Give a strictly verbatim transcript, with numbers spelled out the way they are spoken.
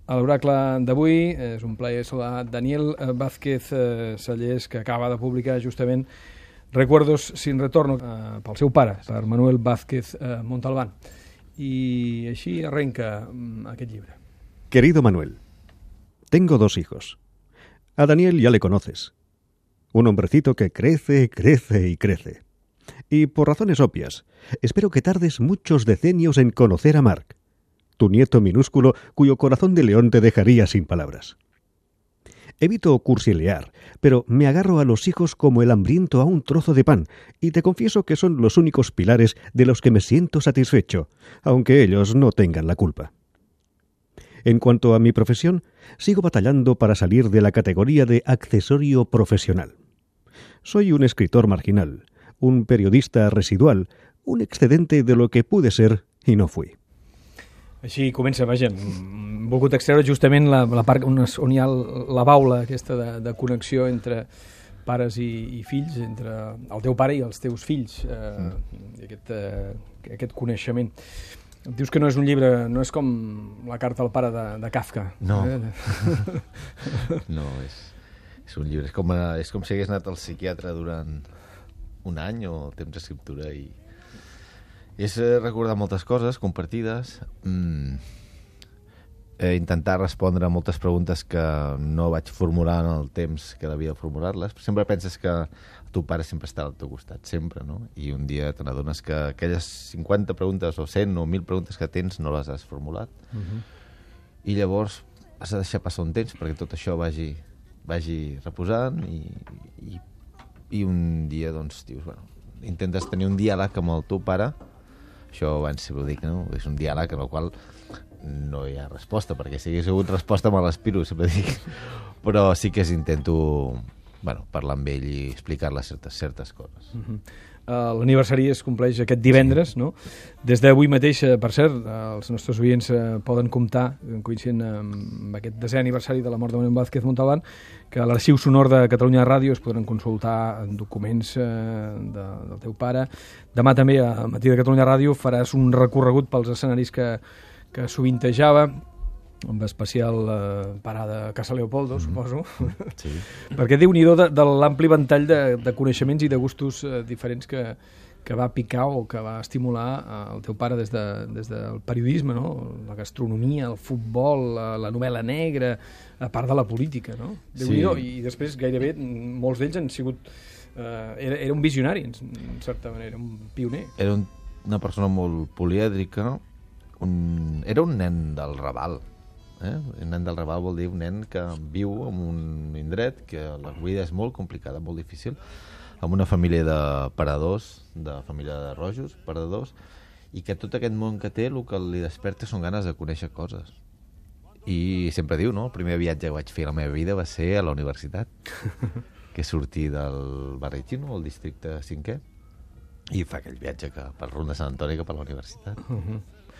A l'Oracle d'avui és un plaer saludar Daniel Vázquez Sallés, que acaba de publicar justament Recuerdos sin retorno eh, pel seu pare, per Manuel Vázquez eh, Montalbán. I així arrenca mm, aquest llibre. Querido Manuel, tengo dos hijos. A Daniel ya le conoces. Un hombrecito que crece, crece y crece. Y por razones obvias, espero que tardes muchos decenios en conocer a Marc, tu nieto minúsculo cuyo corazón de león te dejaría sin palabras. Evito cursilear, pero me agarro a los hijos como el hambriento a un trozo de pan, y te confieso que son los únicos pilares de los que me siento satisfecho, aunque ellos no tengan la culpa. En cuanto a mi profesión, sigo batallando para salir de la categoría de accesorio profesional. Soy un escritor marginal, un periodista residual, un excedente de lo que pude ser i no fui. Així comença, vaja, hem volgut extreure justament la, la part on, es, on hi ha la baula aquesta de, de connexió entre pares i, i fills, entre el teu pare i els teus fills, eh, mm. aquest, eh, aquest coneixement. Dius que no és un llibre, no és com la carta al pare de, de Kafka. No, eh? no, és, és un llibre, és com, és com si hagués anat al psiquiatre durant un any o temps d'escriptura i és recordar moltes coses compartides, mm, eh, intentar respondre a moltes preguntes que no vaig formular en el temps que devia formular-les. Sempre penses que el teu pare sempre està al teu costat, sempre, no? I un dia te n'adones que aquelles cinquanta preguntes o cent o mil preguntes que tens no les has formulat. Uh-huh. I llavors has de deixar passar un temps perquè tot això vagi, vagi reposant i, i, i un dia, doncs, dius, bueno, intentes tenir un diàleg amb el teu pare. Això abans sempre ho dic, no? És un diàleg en el qual no hi ha resposta, perquè si hagués hagut resposta me l'aspiro, sempre dic. Però sí que intento, bueno, parlar amb ell i explicar-li certes, certes coses. Uh-huh. Uh, l'aniversari es compleix aquest divendres, no? Des d'avui mateix, per cert, els nostres oients uh, poden comptar, coincidint amb aquest desè aniversari de la mort de Manuel Vázquez Montalbán, que a l'Arxiu Sonor de Catalunya Ràdio es podran consultar documents uh, de, del teu pare. Demà també, a Matí de Catalunya Ràdio, faràs un recorregut pels escenaris que, que sovintejava, amb especial eh, parada a Casa Leopoldo, mm-hmm. suposo. Sí. Perquè Déu-n'hi-do de, de l'ampli ventall de, de coneixements i de gustos eh, diferents que, que va picar o que va estimular eh, el teu pare des, de, des del periodisme, no? La gastronomia, el futbol, la, la novel·la negra, a part de la política, no? Déu-n'hi-do. Sí. I després gairebé molts d'ells han sigut... Eh, era, era un visionari, en, en certa manera, un pioner. Era un, una persona molt polièdrica, un, era un nen del Raval. Eh? Un nen del Raval vol dir un nen que viu en un indret que la vida és molt complicada, molt difícil, amb una família de paradors, de família de rojos, paradors, i que tot aquest món que té el que li desperta són ganes de conèixer coses. I sempre diu, no? El primer viatge que vaig fer a la meva vida va ser a la universitat, que sortí del barri xino, el districte cinquè, i fa aquell viatge que, pel rumb de Sant Antoni cap a la universitat. Uh-huh.